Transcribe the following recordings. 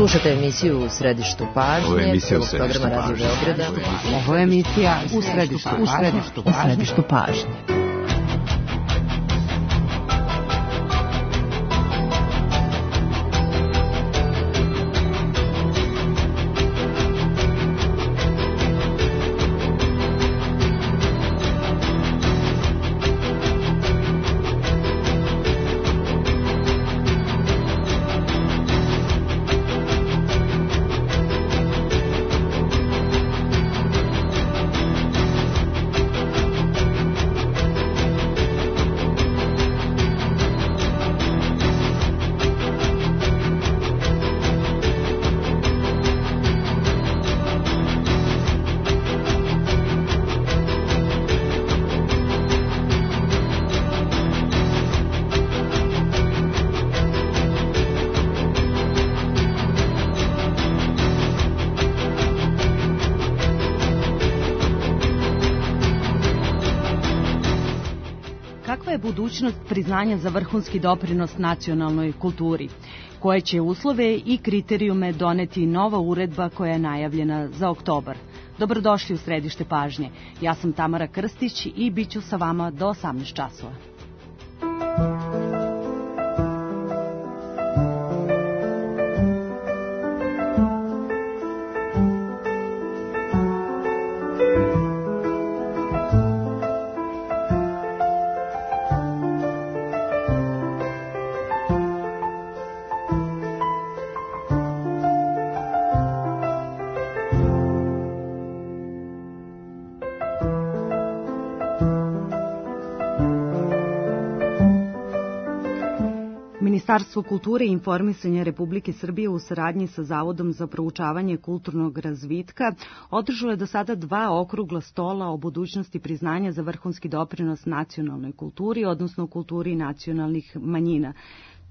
Slušate emisiju U središtu pažnje. Ovo je emisija U središtu pažnje. Ovo je emisija U središtu pažnje. Kakva je budućnost priznanja za vrhunski doprinos nacionalnoj kulturi? Koje će uslove i kriterijume doneti nova uredba koja je najavljena za oktobar? Dobrodošli u središte pažnje. Ja sam Tamara Krstić i bit ću sa vama do 18 časova. Ministarstvo kulture i informisanja Republike Srbije u saradnji sa Zavodom za proučavanje kulturnog razvitka održalo je do sada 2 okrugla stola o budućnosti priznanja za vrhunski doprinos nacionalnoj kulturi, odnosno kulturi nacionalnih manjina.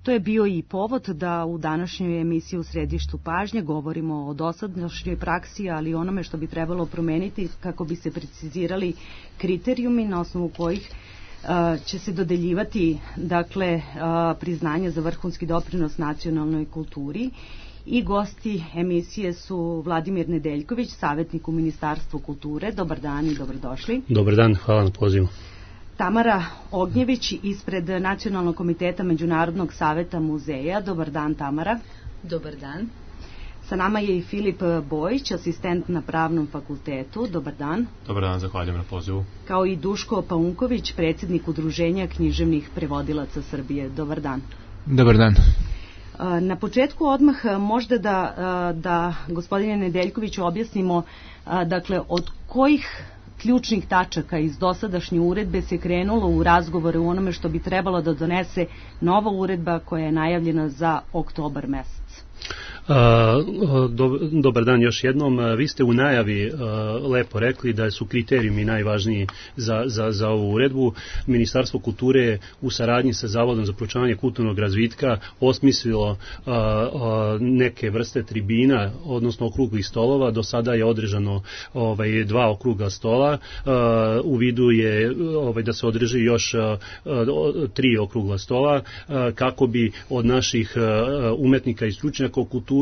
To je bio i povod da u današnjoj emisiji U središtu pažnje govorimo o dosadašnjoj praksi, ali i onome što bi trebalo promeniti kako bi se precizirali kriterijumi na osnovu kojih će se dodeljivati priznanje za vrhunski doprinos nacionalnoj kulturi. I gosti emisije su Vladimir Nedeljković, savjetnik u Ministarstvu kulture. Dobar dan i dobrodošli. Dobar dan, hvala na pozivu. Tamara Ognjević ispred Nacionalnog komiteta Međunarodnog saveta muzeja. Dobar dan, Tamara. Dobar dan. Sa nama je i Filip Bojić, asistent na Pravnom fakultetu. Dobar dan. Dobar dan, zahvaljujem na pozivu. Kao i Duško Paunković, predsjednik Udruženja književnih prevodilaca Srbije. Dobar dan. Dobar dan. Na početku odmah možda da gospodine Nedeljkoviću objasnimo od kojih ključnih tačaka iz dosadašnje uredbe se krenulo u razgovore u onome što bi trebalo da donese nova uredba koja je najavljena za oktobar mesec. Dobar dan još jednom. Vi ste u najavi lepo rekli da su kriterijumi najvažniji za ovu uredbu. Ministarstvo kulture je u saradnji sa Zavodom za proučavanje kulturnog razvitka osmislilo neke vrste tribina, odnosno okruglih stolova. Do sada je održano 2 okrugla stola. U vidu je da se održi još 3 okrugla stola kako bi od naših umetnika i stručnjaka u kulturi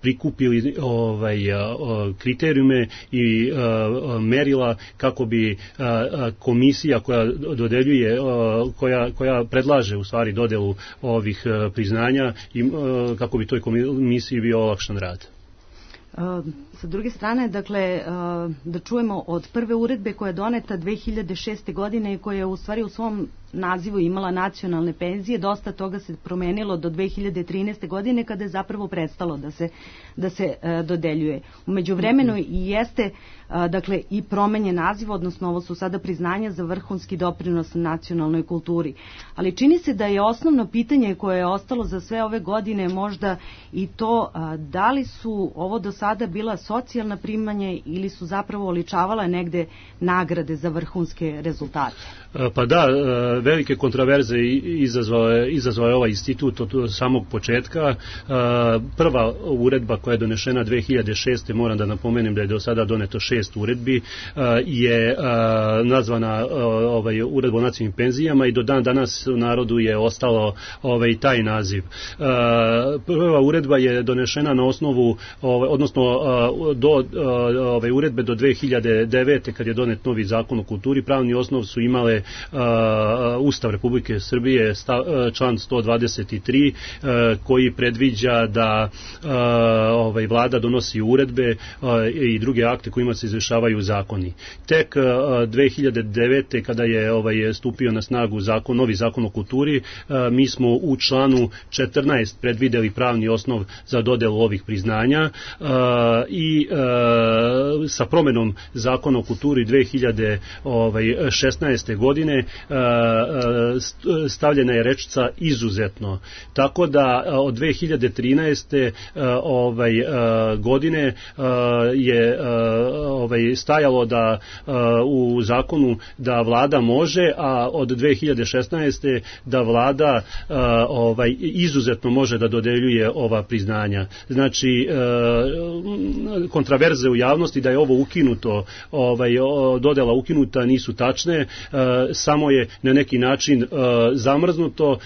prikupili kriterijume i merila kako bi komisija koja dodeljuje, koja predlaže u stvari dodelu ovih priznanja i kako bi toj komisiji bio olakšan rad. Sa druge strane, da čujemo od prve uredbe koja je doneta 2006. godine i koja je u stvari u svom nazivu imala nacionalne penzije, dosta toga se promenilo do 2013. godine kada je zapravo prestalo da se dodeljuje. U međuvremenu i jeste i promenjen naziv, odnosno ovo su sada priznanja za vrhunski doprinos nacionalnoj kulturi. Ali čini se da je osnovno pitanje koje je ostalo za sve ove godine možda i to da li su ovo do sada bila socijalna primanja ili su zapravo oličavala negde nagrade za vrhunske rezultate. Pa da, velike kontraverze izazvao je ovaj institut od samog početka. Prva uredba koja je donešena 2006. moram da napomenem da je do sada doneto 6 uredbi, je nazvana uredba o nacionalnim penzijama i do dan danas u narodu je ostalo taj naziv. Prva uredba je donešena na osnovu, odnosno do uredbe do 2009. kad je donet novi zakon o kulturi, pravni osnov su imale Ustav Republike Srbije, član 123, koji predviđa da vlada donosi uredbe i druge akte kojima se izvršavaju zakoni. Tek 2009. kada je stupio na snagu novi zakon o kulturi, mi smo u članu 14 predvideli pravni osnov za dodelu ovih priznanja i sa promenom zakona o kulturi 2016. godine stavljena je rečica izuzetno. Tako da od 2013. Godine je stajalo da u zakonu da vlada može, a od 2016. da vlada izuzetno može da dodeljuje ova priznanja. Znači, kontraverze u javnosti da je ovo ukinuto, dodela ukinuta nisu tačne, samo je na neki način zamrznuto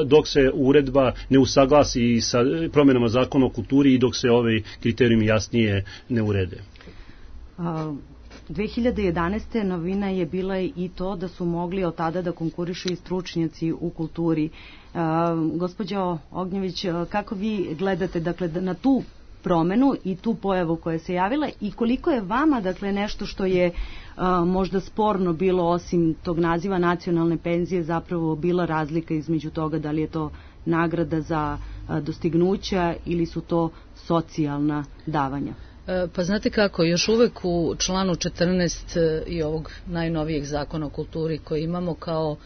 dok se uredba ne usaglasi sa promjenama zakona o kulturi i dok se ovi kriterijumi jasnije ne urede. 2011. novina je bila i to da su mogli od tada da konkurišu i stručnjaci u kulturi. Gospođo Ognjević, kako vi gledate na tu promenu i tu pojavu koja se javila i koliko je vama nešto što je možda sporno bilo osim tog naziva nacionalne penzije zapravo bila razlika između toga da li je to nagrada za dostignuća ili su to socijalna davanja? Pa znate kako, još uvek u članu 14 i ovog najnovijeg zakona o kulturi koji imamo kao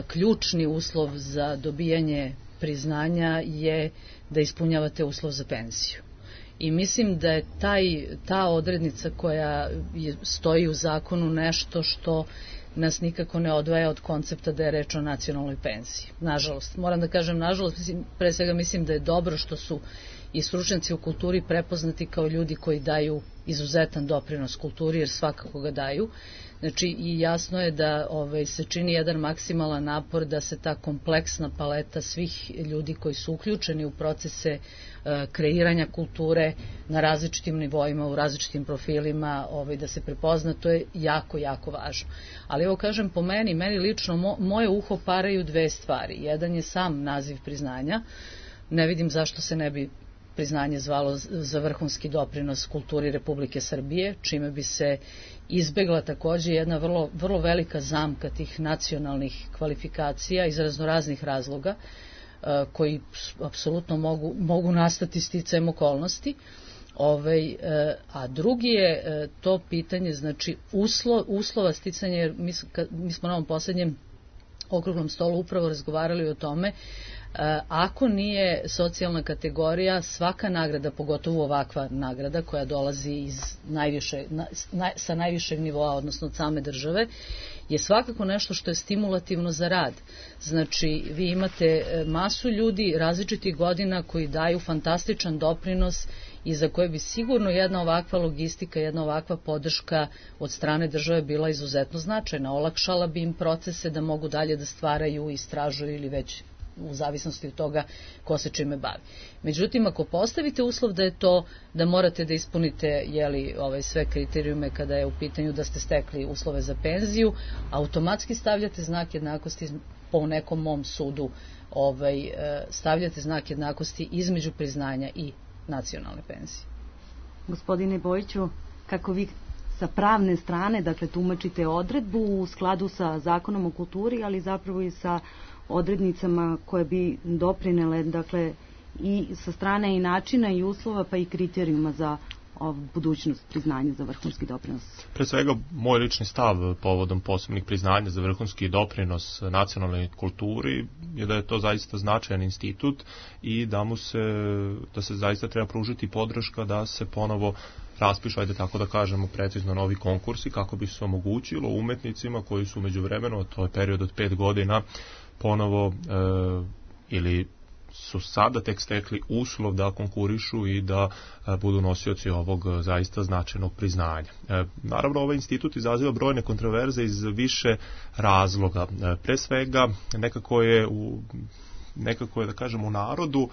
ključni uslov za dobijanje priznanja je da ispunjavate uslov za penziju. I mislim da je ta odrednica koja stoji u zakonu nešto što nas nikako ne odvaja od koncepta da je reč o nacionalnoj penziji. Nažalost, moram da kažem nažalost, pre svega mislim da je dobro što su i stručnjaci u kulturi prepoznati kao ljudi koji daju izuzetan doprinos kulturi, jer svakako ga daju. Znači, i jasno je da se čini jedan maksimalan napor da se ta kompleksna paleta svih ljudi koji su uključeni u procese kreiranja kulture na različitim nivoima, u različitim profilima, da se prepozna, to je jako, jako važno. Ali evo kažem, po meni lično, moje uho paraju dve stvari. Jedan je sam naziv priznanja. Ne vidim zašto se ne bi priznanje zvalo za vrhunski doprinos kulturi Republike Srbije, čime bi se izbegla takođe jedna vrlo, vrlo velika zamka tih nacionalnih kvalifikacija iz raznoraznih razloga koji apsolutno mogu nastati sticajem okolnosti. A drugi je to pitanje, znači uslova sticanja, jer mi smo na ovom posljednjem okruglom stolu upravo razgovarali o tome. Ako nije socijalna kategorija, svaka nagrada, pogotovo ovakva nagrada koja dolazi sa najvišeg nivoa, odnosno od same države, je svakako nešto što je stimulativno za rad. Znači, vi imate masu ljudi različitih godina koji daju fantastičan doprinos i za koje bi sigurno jedna ovakva logistika, jedna ovakva podrška od strane države bila izuzetno značajna. Olakšala bi im procese da mogu dalje da stvaraju, istražuju ili već u zavisnosti od toga ko se čime bavi. Međutim, ako postavite uslov da je to, da morate da ispunite sve kriterijume kada je u pitanju da ste stekli uslove za penziju, automatski stavljate znak jednakosti, po nekom mom sudu, stavljate znak jednakosti između priznanja i nacionalne penzije. Gospodine Bojiću, kako vi sa pravne strane, tumačite odredbu u skladu sa zakonom o kulturi, ali zapravo i sa odrednicama koje bi doprinele, i sa strane i načina i uslova, pa i kriterijuma za budućnost priznanja za vrhunski doprinos? Pre svega, moj lični stav povodom posebnih priznanja za vrhunski doprinos nacionalnoj kulturi je da je to zaista značajan institut i da se zaista treba pružiti podrška da se ponovo raspišu, ajde tako da kažemo precizno, novi konkursi kako bi se omogućilo umetnicima koji su međuvremeno, to je period od 5 godina, ponovo ili su sada tek stekli uslov da konkurišu i da budu nosioci ovog zaista značajnog priznanja. Naravno, ovaj institut izaziva brojne kontroverze iz više razloga. Pre svega, nekako je da kažem u narodu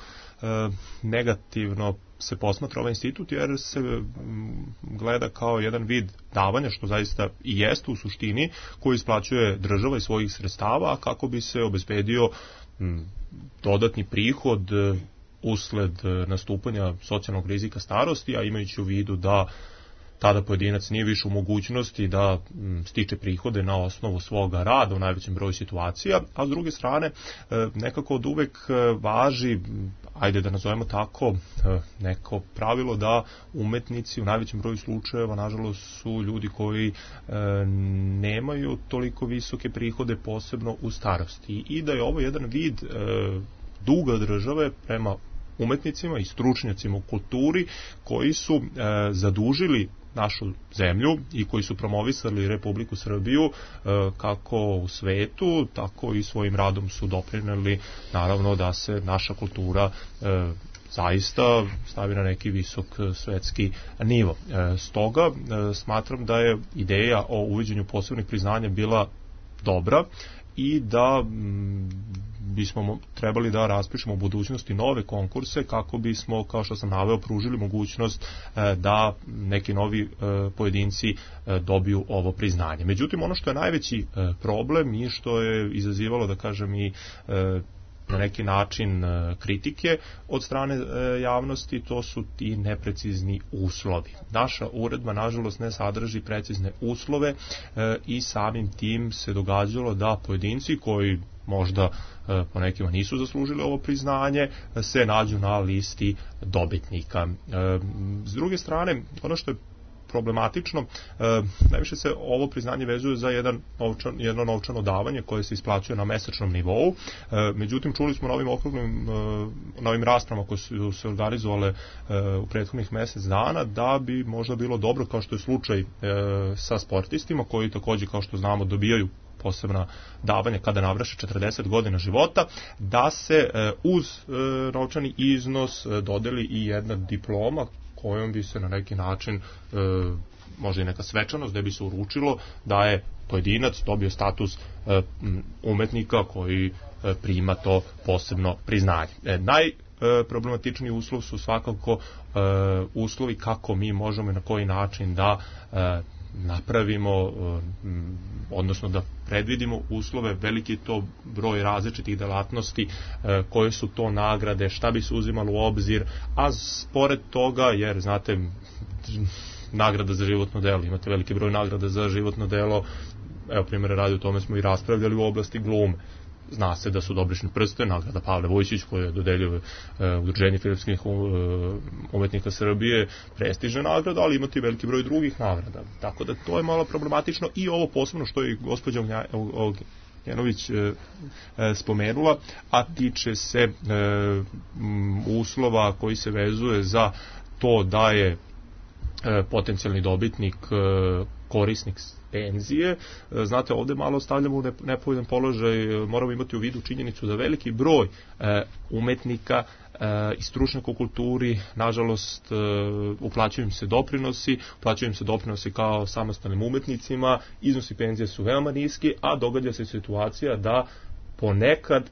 negativno se posmatra ovaj institut jer se gleda kao jedan vid davanja, što zaista i jeste u suštini, koji isplaćuje država iz svojih sredstava, a kako bi se obezbedio dodatni prihod usled nastupanja socijalnog rizika starosti, a imajući u vidu da tada pojedinac nije više u mogućnosti da stiče prihode na osnovu svoga rada u najvećem broju situacija, a s druge strane nekako od uvek važi, ajde da nazovemo tako, neko pravilo da umetnici u najvećem broju slučajeva nažalost su ljudi koji nemaju toliko visoke prihode, posebno u starosti, i da je ovo jedan vid duga države prema umetnicima i stručnjacima u kulturi koji su zadužili našu zemlju i koji su promovisali Republiku Srbiju kako u svetu, tako i svojim radom su doprineli naravno da se naša kultura zaista stavi na neki visok svetski nivo. Stoga smatram da je ideja o uvođenju posebnih priznanja bila dobra i da bismo trebali da raspišemo u budućnosti nove konkurse kako bismo, kao što sam naveo, pružili mogućnost da neki novi pojedinci dobiju ovo priznanje. Međutim, ono što je najveći problem i što je izazivalo, da kažem, i na neki način kritike od strane javnosti, to su ti neprecizni uslovi. Naša uredba, nažalost, ne sadrži precizne uslove i samim tim se događalo da pojedinci koji možda po nekima nisu zaslužili ovo priznanje, se nađu na listi dobitnika. S druge strane, ono što je problematično, najviše se ovo priznanje vezuje za jedno novčano davanje koje se isplaćuje na mesečnom nivou. Međutim, čuli smo na ovim raspravama koje su se organizovale u prethodnih mesec dana da bi možda bilo dobro, kao što je slučaj sa sportistima koji takođe, kao što znamo, dobijaju posebna davanja kada navrše 40 godina života, da se uz novčani iznos dodeli i jedna diploma kojom bi se na neki način, možda i neka svečanost, da bi se uručilo da je pojedinac dobio status umetnika koji prima to posebno priznanje. Najproblematičniji uslov su svakako uslovi kako mi možemo i na koji način da napravimo, odnosno da predvidimo uslove. Veliki je to broj različitih delatnosti, koje su to nagrade, šta bi se uzimalo u obzir, a pored toga, jer znate, nagrada za životno delo, imate veliki broj nagrada za životno delo, evo primjera radi, o tome smo i raspravljali u oblasti glume. Zna se da su Dobrišni prsten, nagrada Pavle Vojčić koju je dodelio Udruženje filmskih umetnika Srbije, prestižna nagrada, ali imate i veliki broj drugih nagrada. Tako da to je malo problematično i ovo posebno što je gospođa Ognjanović spomenula, a tiče se uslova koji se vezuje za to da je potencijalni dobitnik korisnik penzije. Znate, ovde malo stavljamo u nepovoljan položaj, moramo imati u vidu činjenicu da veliki broj umetnika i stručnjaka u kulturi, nažalost, uplaćuju im se doprinosi kao samostalnim umetnicima, iznosi penzije su veoma niski, a događa se situacija da ponekad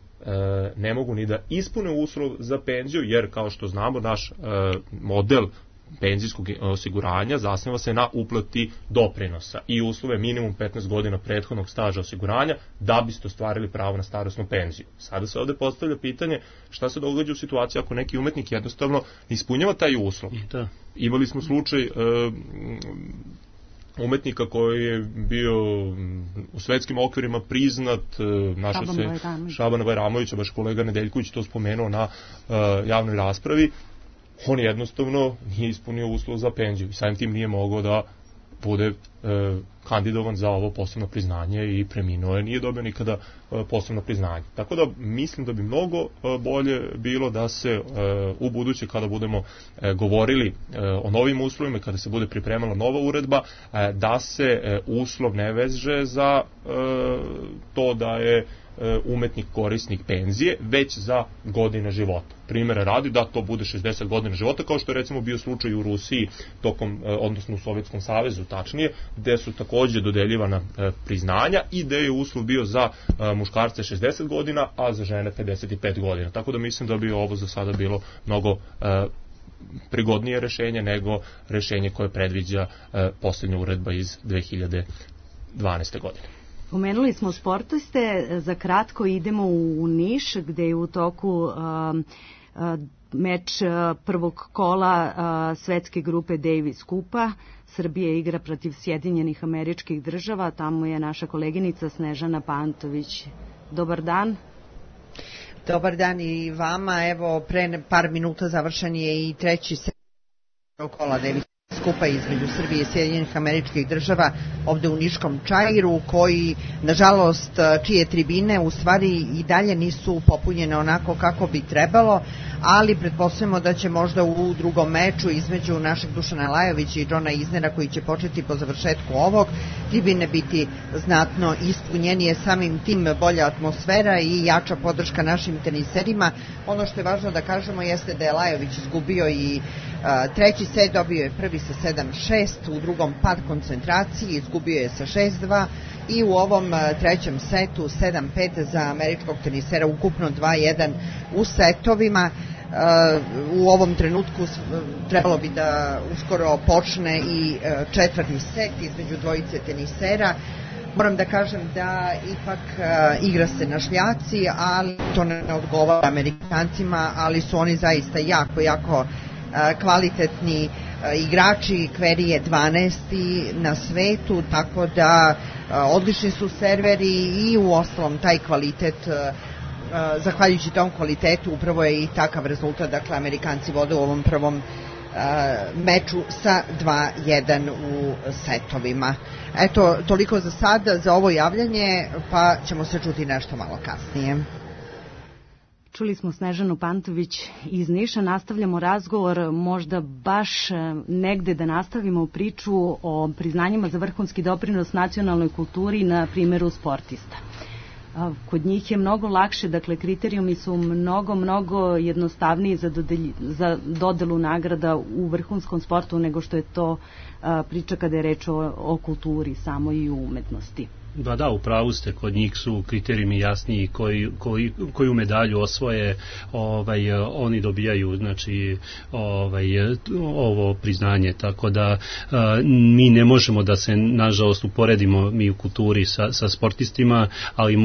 ne mogu ni da ispune uslov za penziju, jer kao što znamo, naš model penzijskog osiguranja zasniva se na uplati doprinosa i uslove minimum 15 godina prethodnog staža osiguranja da biste ostvarili pravo na starosnu penziju. Sada se ovde postavlja pitanje šta se događa u situaciji ako neki umetnik jednostavno ispunjava taj uslov. Imali smo slučaj umetnika koji je bio u svetskim okvirima priznat, Šabana Bajramovića, baš kolega Nedeljković to spomenuo na javnoj raspravi. on jednostavno nije ispunio uslov za penziju i samim tim nije mogao da bude kandidovan za ovo posebno priznanje i preminuo je, nije dobio nikada posebno priznanje. Tako da mislim da bi mnogo bolje bilo da se u buduće kada budemo govorili o novim uslovima, kada se bude pripremala nova uredba, da se uslov ne veže za to da je umetnik korisnik penzije, već za godine života. Primjera radi da to bude 60 godina života, kao što je recimo bio slučaj u Rusiji tokom, odnosno u Sovjetskom savezu tačnije, gde su takođe dodeljivana priznanja i gde je uslov bio za muškarce 60 godina, a za žene 55 godina. Tako da mislim da bi ovo za sada bilo mnogo prigodnije rešenje nego rešenje koje predviđa posljednja uredba iz 2012. godine. Pomenuli smo sportiste, za kratko idemo u Niš gde je u toku meč prvog kola svetske grupe Davis Kupa. Srbija igra protiv Sjedinjenih Američkih Država, tamo je naša koleginica Snežana Pantović. Dobar dan. Dobar dan i vama, evo pre par minuta završen je i treći set kola Davis skupa između Srbije i Sjedinjenih Američkih Država ovde u Niškom Čairu, koji, nažalost, čije tribine u stvari i dalje nisu popunjene onako kako bi trebalo, ali pretpostavljamo da će možda u drugom meču između našeg Dušana Lajovića i Džona Iznera, koji će početi po završetku ovog, tribine biti znatno ispunjenije, samim tim bolja atmosfera i jača podrška našim teniserima. Ono što je važno da kažemo jeste da je Lajović izgubio i treći set, dobio je prvi sa 7-6, u drugom pad koncentracije, izgubio je sa 6-2 i u ovom trećem setu 7-5 za američkog tenisera, ukupno 2-1 u setovima. U ovom trenutku trebalo bi da uskoro počne i četvrti set između dvojice tenisera. Moram da kažem da ipak igra se na šljaci, ali to ne odgovara Amerikancima, ali su oni zaista jako kvalitetni igrači. Kveri je 12. na svetu, tako da odlični su serveri i u ostalom taj kvalitet, zahvaljujući tom kvalitetu upravo je i takav rezultat. Dakle, Amerikanci vode u ovom prvom meču sa 2-1 u setovima. Eto, toliko za sad, za ovo javljanje, pa ćemo se čuti nešto malo kasnije. Čuli smo Snežanu Pantović iz Niša, nastavljamo razgovor, možda baš negde da nastavimo priču o priznanjima za vrhunski doprinos nacionalnoj kulturi na primjeru sportista. Kod njih je mnogo lakše, dakle kriterijumi su mnogo jednostavniji za dodelu nagrada u vrhunskom sportu nego što je to priča kada je reč o kulturi samo i u umetnosti. Da, u pravu ste, kod njih su kriterijumi jasniji, koju medalju osvoje, oni dobijaju, znači, ovo priznanje, tako da mi ne možemo da se, nažalost, uporedimo mi u kulturi sa sportistima, ali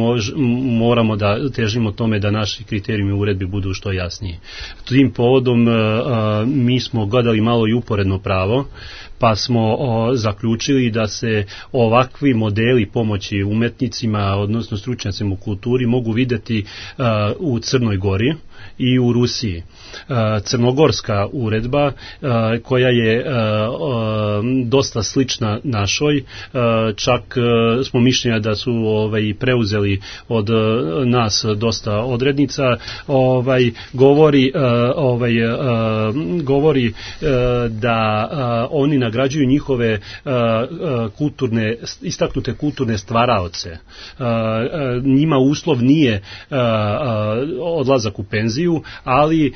moramo da težimo tome da naši kriterijumi u uredbi budu što jasniji. Tim povodom mi smo gledali malo i uporedno pravo, pa smo zaključili da se ovakvi modeli pomoći umetnicima, odnosno stručnjacima u kulturi, mogu videti u Crnoj Gori i u Rusiji. Crnogorska uredba, koja je dosta slična našoj, čak smo mišljenja da su preuzeli od nas dosta odrednica, govori da oni nagrađuju njihove istaknute kulturne stvaraoce. Njima uslov nije odlazak u penziju, ali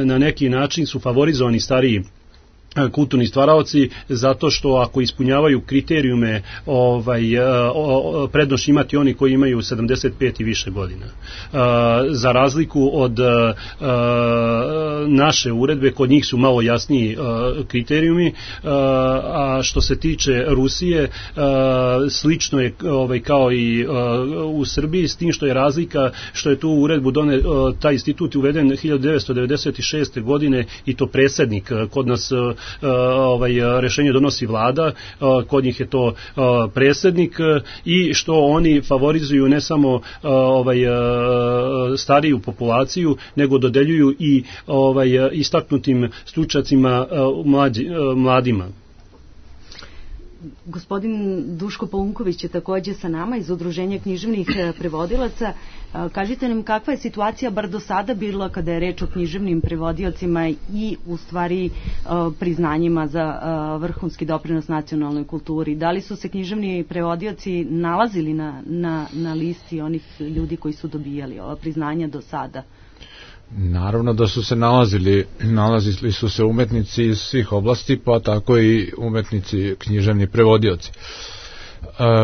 na neki način su favorizovani stariji kulturni stvaraoci, zato što ako ispunjavaju kriterijume, prednost imati oni koji imaju 75 i više godina. Za razliku od naše uredbe, kod njih su malo jasniji kriterijumi, a što se tiče Rusije, slično je kao i u Srbiji, s tim što je razlika što je tu uredbu taj institut uveden 1996. godine i to predsjednik. Kod nas rešenje donosi vlada, kod njih je to predsjednik i što oni favorizuju ne samo stariju populaciju, nego dodeljuju i istaknutim stručnjacima mladima. Gospodin Duško Paunković je takođe sa nama iz Udruženja književnih prevodilaca. Kažite nam kakva je situacija bar do sada bila kada je reč o književnim prevodiocima i u stvari priznanjima za vrhunski doprinos nacionalnoj kulturi. Da li su se književni prevodioci nalazili na listi onih ljudi koji su dobijali ova priznanja do sada? Naravno da su se nalazili su se umetnici iz svih oblasti, pa tako i umetnici književni prevodioci.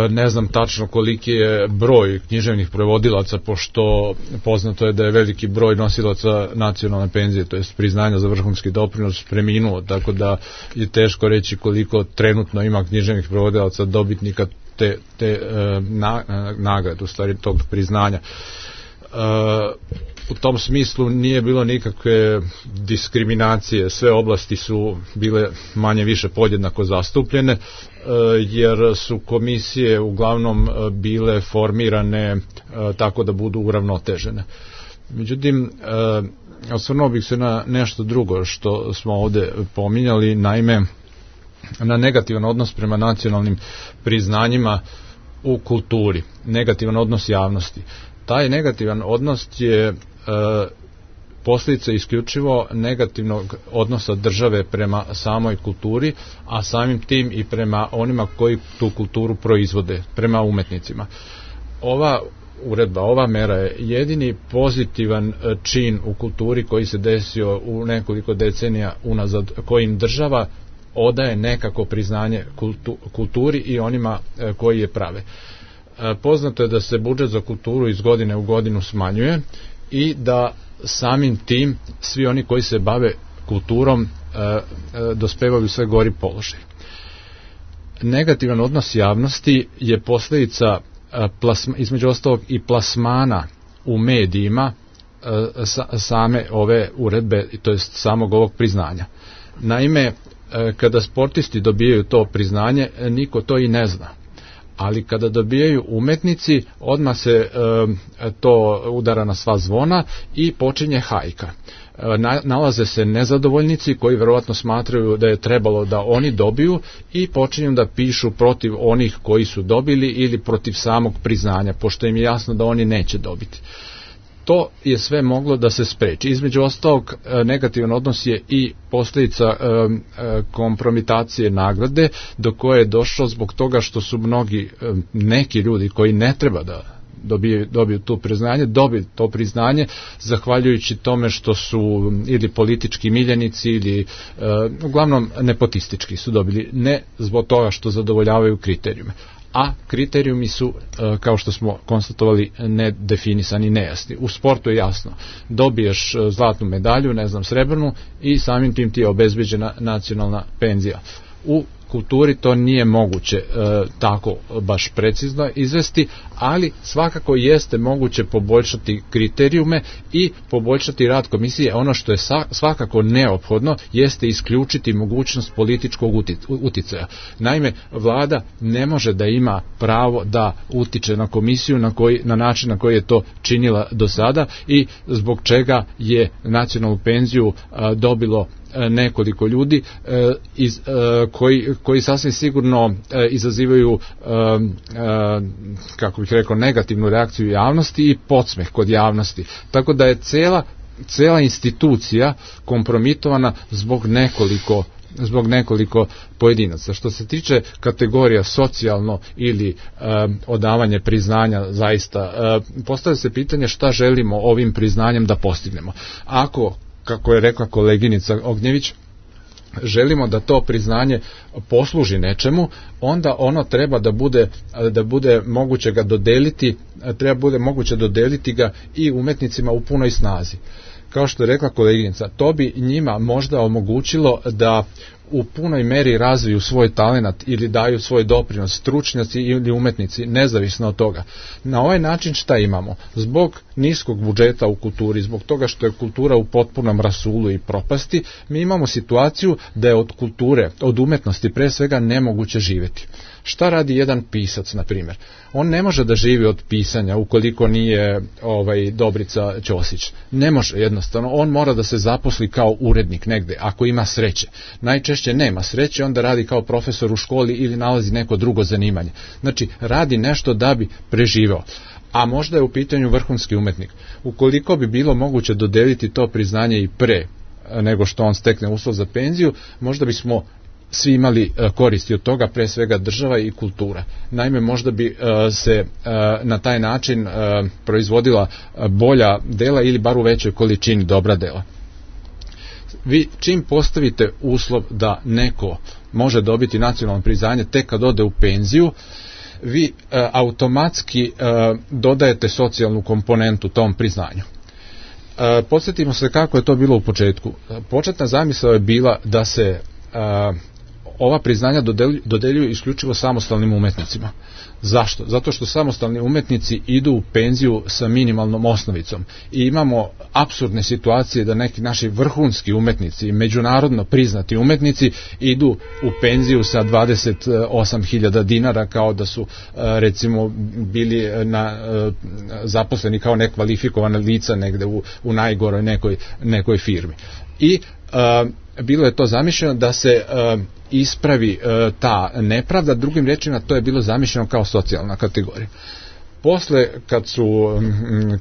Ne znam tačno koliki je broj književnih prevodilaca, pošto poznato je da je veliki broj nosilaca nacionalne penzije, to jest priznanja za vrhunski doprinos, preminuo, tako da je teško reći koliko trenutno ima književnih prevodilaca dobitnika te nagrade, u stvari tog priznanja. U tom smislu nije bilo nikakve diskriminacije, sve oblasti su bile manje više podjednako zastupljene, jer su komisije uglavnom bile formirane tako da budu uravnotežene. Međutim, osvrnuo bih se na nešto drugo što smo ovde pominjali, naime na negativan odnos prema nacionalnim priznanjima u kulturi, negativan odnos javnosti. Taj negativan odnos je posljedica isključivo negativnog odnosa države prema samoj kulturi, a samim tim i prema onima koji tu kulturu proizvode, prema umetnicima. Ova uredba, ova mera je jedini pozitivan čin u kulturi koji se desio u nekoliko decenija unazad, kojim država odaje nekako priznanje kulturi i onima koji je prave. Poznato je da se budžet za kulturu iz godine u godinu smanjuje i da samim tim svi oni koji se bave kulturom dospevaju sve gori položaj. Negativan odnos javnosti je posljedica između ostalog i plasmana u medijima same ove uredbe, to jest samog ovog priznanja. Naime, kada sportisti dobijaju to priznanje, niko to i ne zna. Ali kada dobijaju umetnici, odmah se to udara na sva zvona i počinje hajka. Nalaze se nezadovoljnici koji verovatno smatraju da je trebalo da oni dobiju i počinju da pišu protiv onih koji su dobili ili protiv samog priznanja, pošto im je jasno da oni neće dobiti. To je sve moglo da se spreči. Između ostalog, negativan odnos je i posljedica kompromitacije nagrade, do koje je došlo zbog toga što su neki ljudi koji ne treba da dobiju to priznanje, dobiju to priznanje zahvaljujući tome što su ili politički miljenici ili uglavnom nepotistički su dobili, ne zbog toga što zadovoljavaju kriterijume. A kriterijumi su, kao što smo konstatovali, nedefinisani, nejasni. U sportu je jasno, dobiješ zlatnu medalju, ne znam, srebrnu, i samim tim ti je obezbeđena nacionalna penzija. U kulturi to nije moguće tako baš precizno izvesti, ali svakako jeste moguće poboljšati kriterijume i poboljšati rad komisije. Ono što je svakako neophodno jeste isključiti mogućnost političkog uticaja. Naime, vlada ne može da ima pravo da utiče na komisiju na način na koji je to činila do sada i zbog čega je nacionalnu penziju dobilo nekoliko ljudi koji sasvim sigurno izazivaju, kako bih rekao, negativnu reakciju javnosti i podsmeh kod javnosti. Tako da je cela institucija kompromitovana zbog nekoliko pojedinaca. Što se tiče kategorija socijalno ili odavanje priznanja, zaista postavlja se pitanje šta želimo ovim priznanjem da postignemo. Ako, kako je rekla koleginica Ognjević, želimo da to priznanje posluži nečemu, onda ono treba da bude moguće ga dodeliti, ga i umetnicima u punoj snazi. Kao što je rekla koleginica, to bi njima možda omogućilo da u punoj meri razviju svoj talenat ili daju svoj doprinos, stručnjaci ili umetnici, nezavisno od toga. Na ovaj način šta imamo? Zbog niskog budžeta u kulturi, zbog toga što je kultura u potpunom rasulu i propasti, mi imamo situaciju da je od kulture, od umetnosti pre svega nemoguće živjeti. Šta radi jedan pisac, na primjer? On ne može da živi od pisanja ukoliko nije Dobrica Ćosić. Ne može, jednostavno. On mora da se zaposli kao urednik negde, ako ima sreće. Najčešće nema sreće, onda radi kao profesor u školi ili nalazi neko drugo zanimanje. Znači, radi nešto da bi preživeo. A možda je u pitanju vrhunski umetnik. Ukoliko bi bilo moguće dodeliti to priznanje i pre nego što on stekne uslov za penziju, možda bismo svi imali koristi od toga, pre svega država i kultura. Naime, možda bi se na taj način proizvodila bolja dela ili bar u većoj količini dobra dela. Vi čim postavite uslov da neko može dobiti nacionalno priznanje tek kad ode u penziju, vi automatski dodajete socijalnu komponentu tom priznanju. Podsjetimo se kako je to bilo u početku. Početna zamisao je bila da se ova priznanja dodeljuju isključivo samostalnim umetnicima. Zašto? Zato što samostalni umetnici idu u penziju sa minimalnom osnovicom i imamo apsurdne situacije da neki naši vrhunski umetnici, međunarodno priznati umetnici idu u penziju sa 28.000 dinara kao da su recimo bili zaposleni kao nekvalifikovana lica negde u najgoroj nekoj firmi. I bilo je to zamišljeno da se ispravi ta nepravda, drugim rečima to je bilo zamišljeno kao socijalna kategorija. Posle,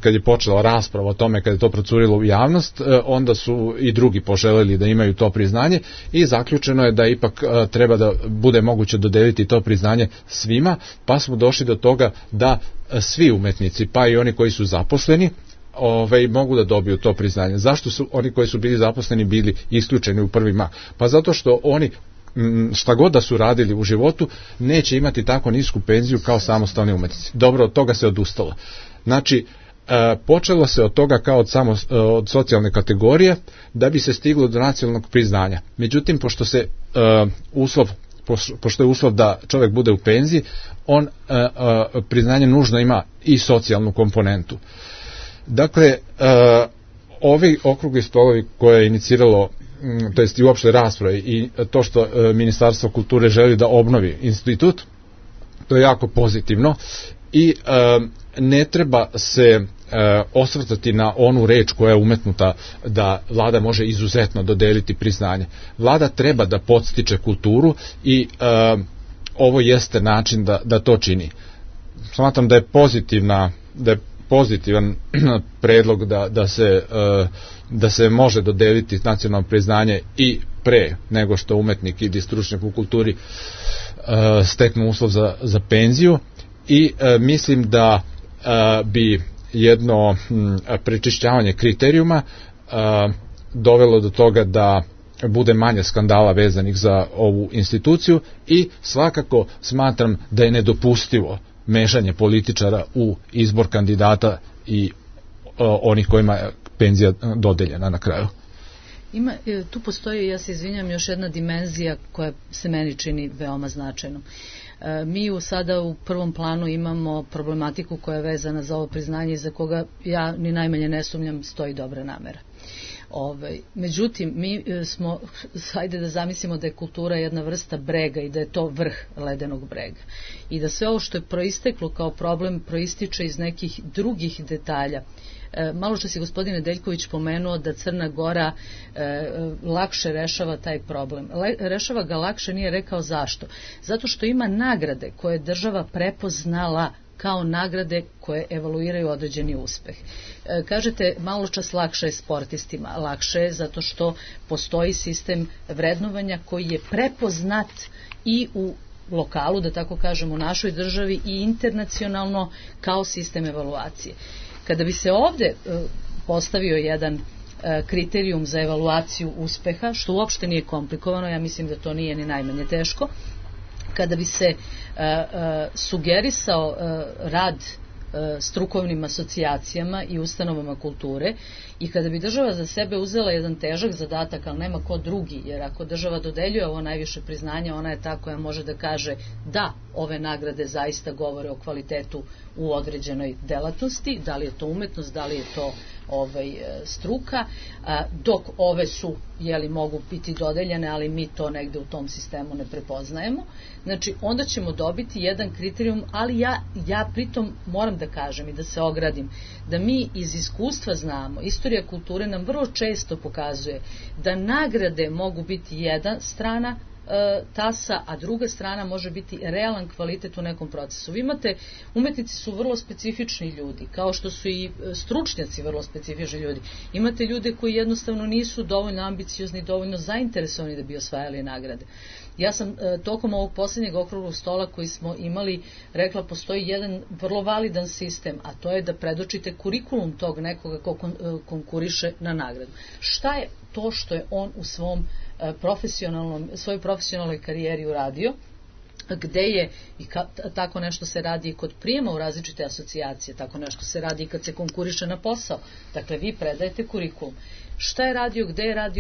kad je počela rasprava o tome, kad je to procurilo u javnost, onda su i drugi poželeli da imaju to priznanje i zaključeno je da ipak treba da bude moguće dodeliti to priznanje svima, pa smo došli do toga da svi umetnici, pa i oni koji su zaposleni, mogu da dobiju to priznanje. Zašto su oni koji su bili zaposleni bili isključeni u prvi mah? Pa zato što oni, šta god da su radili u životu, neće imati tako nisku penziju kao samostalni umetnici. Dobro, od toga se odustalo. Znači, počelo se od toga kao od socijalne kategorije da bi se stiglo do nacionalnog priznanja. Međutim, pošto je uslov da čovjek bude u penziji, on priznanje nužno ima i socijalnu komponentu. Dakle, ovi okrugli stolovi koje je iniciralo, to jest i uopšte rasprave i to što Ministarstvo kulture želi da obnovi institut, to je jako pozitivno i ne treba se osvrtati na onu reč koja je umetnuta da vlada može izuzetno dodeliti priznanje. Vlada treba da podstiče kulturu i ovo jeste način da to čini. Smatram da je pozitivan predlog da se može dodeliti nacionalno priznanje i pre nego što umetnik ili stručnjak u kulturi steknu uslov za penziju i mislim da bi jedno prečišćavanje kriterijuma dovelo do toga da bude manje skandala vezanih za ovu instituciju i svakako smatram da je nedopustivo mešanje političara u izbor kandidata i onih kojima je penzija dodeljena na kraju. Tu postoji, ja se izvinjam, još jedna dimenzija koja se meni čini veoma značajnom. Mi sada u prvom planu imamo problematiku koja je vezana za ovo priznanje i za koga ja ni najmanje ne sumnjam stoji dobra namera. Međutim, mi smo, hajde da zamislimo da je kultura jedna vrsta brega i da je to vrh ledenog brega i da sve ovo što je proisteklo kao problem proističe iz nekih drugih detalja. Malo što si gospodine Deljković pomenuo da Crna Gora lakše rešava taj problem. Rešava ga lakše, nije rekao zašto. Zato što ima nagrade koje je država prepoznala kao nagrade koje evaluiraju određeni uspeh. Kažete, malo čas lakše je sportistima. Lakše je zato što postoji sistem vrednovanja koji je prepoznat i u lokalu, da tako kažem, u našoj državi i internacionalno kao sistem evaluacije. Kada bi se ovde postavio jedan kriterijum za evaluaciju uspeha, što uopšte nije komplikovano, ja mislim da to nije ni najmanje teško, kada bi se sugerisao rad strukovnim asocijacijama i ustanovama kulture, i kada bi država za sebe uzela jedan težak zadatak, ali nema ko drugi, jer ako država dodeljuje ovo najviše priznanje, ona je ta koja može da kaže da ove nagrade zaista govore o kvalitetu u određenoj delatnosti, da li je to umetnost, da li je to struka, dok ove su, mogu biti dodeljene, ali mi to negde u tom sistemu ne prepoznajemo. Znači, onda ćemo dobiti jedan kriterijum, ali ja pritom moram da kažem i da se ogradim, da mi iz iskustva znamo, istorija kulture nam vrlo često pokazuje da nagrade mogu biti jedna strana tasa, a druga strana može biti realan kvalitet u nekom procesu. Vi imate, umetnici su vrlo specifični ljudi, kao što su i stručnjaci vrlo specifični ljudi. Imate ljude koji jednostavno nisu dovoljno ambiciozni, dovoljno zainteresovani da bi osvajali nagrade. Ja sam tokom ovog posljednjeg okruglog stola koji smo imali rekla, postoji jedan vrlo validan sistem, a to je da predočite kurikulum tog nekoga ko konkuriše na nagradu. Šta je to što je on u svojoj profesionalnoj karijeri uradio, gde je, i tako nešto se radi i kod prijema u različite asocijacije, tako nešto se radi i kad se konkuriše na posao. Dakle, vi predajete kurikulum. Šta je radio,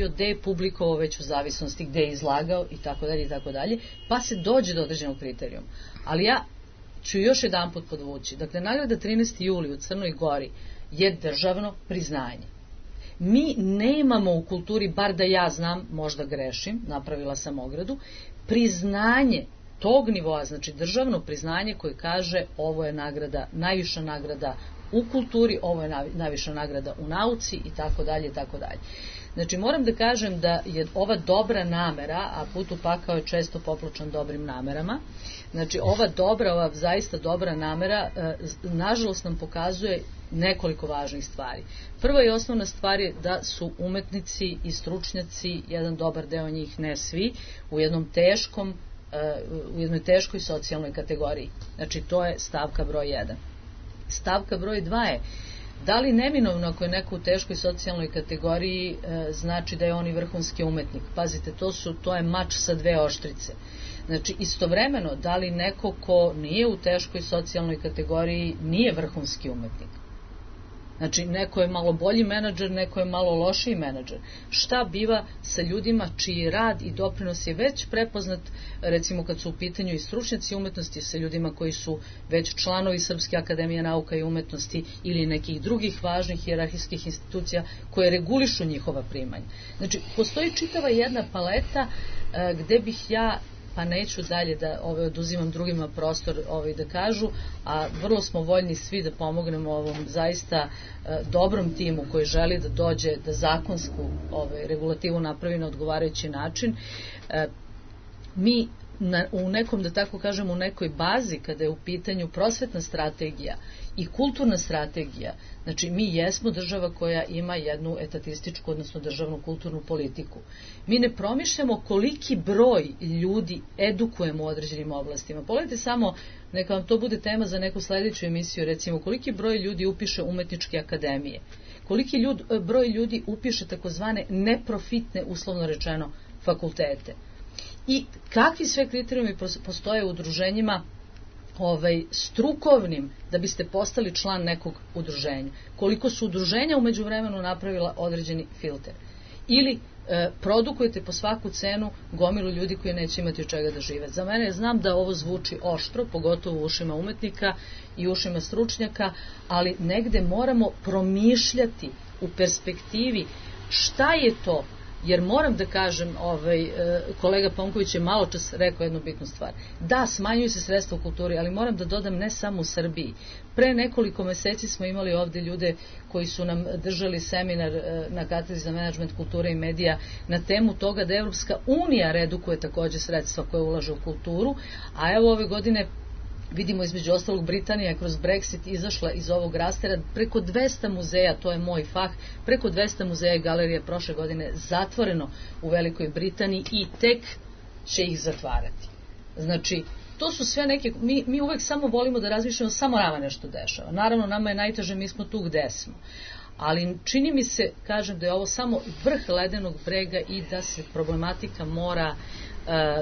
gde je publikovao već u zavisnosti, gde je izlagao i tako dalje, pa se dođe do određenog kriterijuma. Ali ja ću još jedan put podvući. Dakle, nagrada 13. juli u Crnoj Gori je državno priznanje. Mi nemamo u kulturi, bar da ja znam, možda grešim, napravila sam ogradu, priznanje tog nivoa, znači državno priznanje koje kaže ovo je nagrada, najviša nagrada u kulturi, ovo je najviša nagrada u nauci i tako dalje i tako dalje. Znači, moram da kažem da je ova dobra namera, a put u pakao je često popločan dobrim namerama, znači ova zaista dobra namera, nažalost nam pokazuje nekoliko važnih stvari. Prva i osnovna stvar je da su umetnici i stručnjaci, jedan dobar deo njih, ne svi, u jednoj teškoj socijalnoj kategoriji. Znači, to je stavka broj 1. Stavka broj 2 je da li neminovno ako je neko u teškoj socijalnoj kategoriji znači da je on i vrhunski umetnik. Pazite, to je mač sa dve oštrice. Znači, istovremeno, da li neko ko nije u teškoj socijalnoj kategoriji nije vrhunski umetnik. Znači, neko je malo bolji menadžer, neko je malo lošiji menadžer. Šta biva sa ljudima čiji rad i doprinos je već prepoznat, recimo kad su u pitanju i stručnjaci umetnosti, sa ljudima koji su već članovi Srpske akademije nauka i umetnosti ili nekih drugih važnih hijerarhijskih institucija koje regulišu njihova primanja. Znači, postoji čitava jedna paleta gde bih ja, pa neću dalje da oduzimam drugima prostor da kažu, a vrlo smo voljni svi da pomognemo ovom zaista dobrom timu koji želi da dođe da zakonsku regulativu napravi na odgovarajući način. Mi u nekom, da tako kažem, u nekoj bazi kada je u pitanju prosvetna strategija i kulturna strategija, znači mi jesmo država koja ima jednu etatističku, odnosno državnu kulturnu politiku. Mi ne promišljamo koliki broj ljudi edukujemo u određenim oblastima. Pogledajte samo, neka vam to bude tema za neku sledeću emisiju, recimo koliki broj ljudi upiše umetničke akademije, koliki broj ljudi upiše takozvane neprofitne, uslovno rečeno, fakultete. I kakvi sve kriterijumi postoje u udruženjima strukovnim da biste postali član nekog udruženja. Koliko su udruženja u međuvremenu napravila određeni filter. Ili produkujete po svaku cenu gomilu ljudi koji neće imati od čega da žive. Za mene, znam da ovo zvuči oštro, pogotovo u ušima umetnika i ušima stručnjaka, ali negde moramo promišljati u perspektivi šta je to. Jer moram da kažem, kolega Ponković je malo čas rekao jednu bitnu stvar. Da, smanjuju se sredstva u kulturi, ali moram da dodam ne samo u Srbiji. Pre nekoliko meseci smo imali ovde ljude koji su nam držali seminar na katedri za menadžment kulture i medija na temu toga da Evropska unija redukuje takođe sredstva koje ulaže u kulturu, a evo ove godine vidimo između ostalog Britanija je kroz Brexit izašla iz ovog rastera, preko 200 muzeja, to je moj fah, preko 200 muzeja i galerija prošle godine zatvoreno u Velikoj Britaniji i tek će ih zatvarati. Znači, to su sve neke, mi uvek samo volimo da razmišljamo, samo nama nešto dešava. Naravno, nama je najteže, mi smo tu gde smo. Ali čini mi se, kažem, da je ovo samo vrh ledenog brega i da se problematika mora,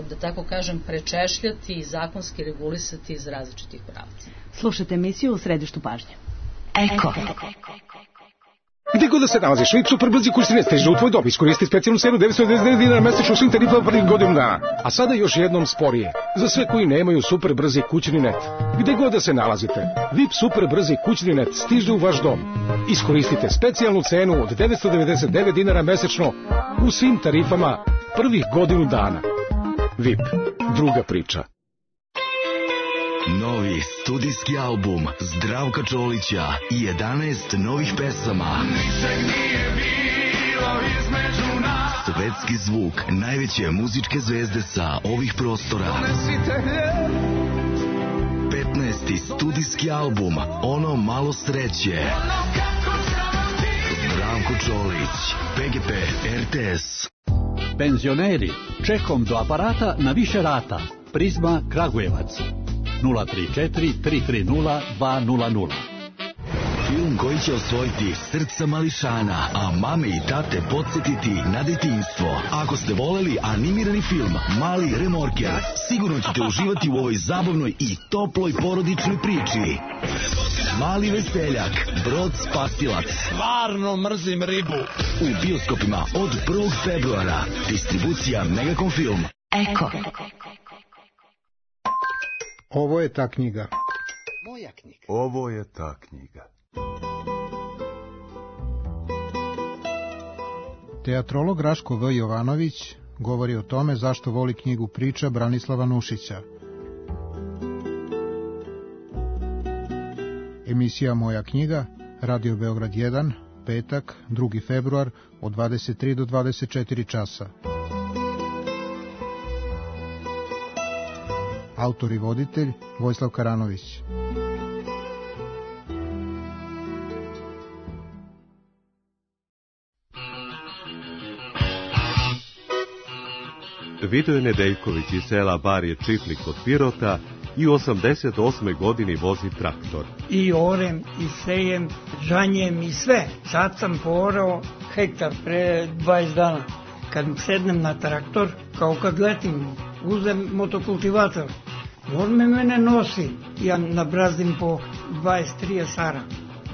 da tako kažem, prečešljati i zakonski regulisati iz različitih pravaca. Slušajte emisiju U središtu pažnje. Eko. Gde god da se nalaziš, VIP super brzi kurs ne stiže u tvoj dom. Iskoristi specijalnu cenu 999 dinara mesečno svim tarifama prvih godinu dana. A sada još jednom sporije. Za sve koji nemaju super brzi kućni net. Gde god da se nalazite, VIP super brzi kućni net stiže u vaš dom. Iskoristite specijalnu cenu od 999 dinara mesečno u svim tarifama prvih godinu dana. VIP, druga priča. Novi studijski album Zdravka Čolića i 11 novih pesama. Svetski zvuk najveće muzičke zvezde sa ovih prostora. 15. studijski album Ono malo sreće. Zdravko Čolić, PGP RTS. Penzioneri, čekom do aparata na više rata. Prizma Kragujevac. 034 330 200. Film koji će osvojiti srca mališana, a mame i tate podsjetiti na detinjstvo. Ako ste voleli animirani film Mali remorker, sigurno ćete uživati u ovoj zabavnoj i toploj porodičnoj priči. Mali veseljak, Brod spasilac. Stvarno mrzim ribu. U bioskopima od 1. februara. Distribucija Megakom Film. Eko. Ovo je ta knjiga. Moja knjiga. Ovo je ta knjiga. Teatrolog Raško V. Jovanović govori o tome zašto voli knjigu Priča Branislava Nušića. Emisija Moja knjiga, Radio Beograd 1, petak, 2. februar, od 23 do 24 časa. Autor i voditelj Vojislav Karanović. Vidoje Nedeljković iz sela Barje Čiflik kod Pirota i u 88. godini vozi traktor. I orem, i sejem, žanjem i sve. Sad sam porao hektar pre 20 dana. Kad sednem na traktor, kao kad letim, uzem motokultivator. On mene nosi, ja nabrazdim po 20-30 sara.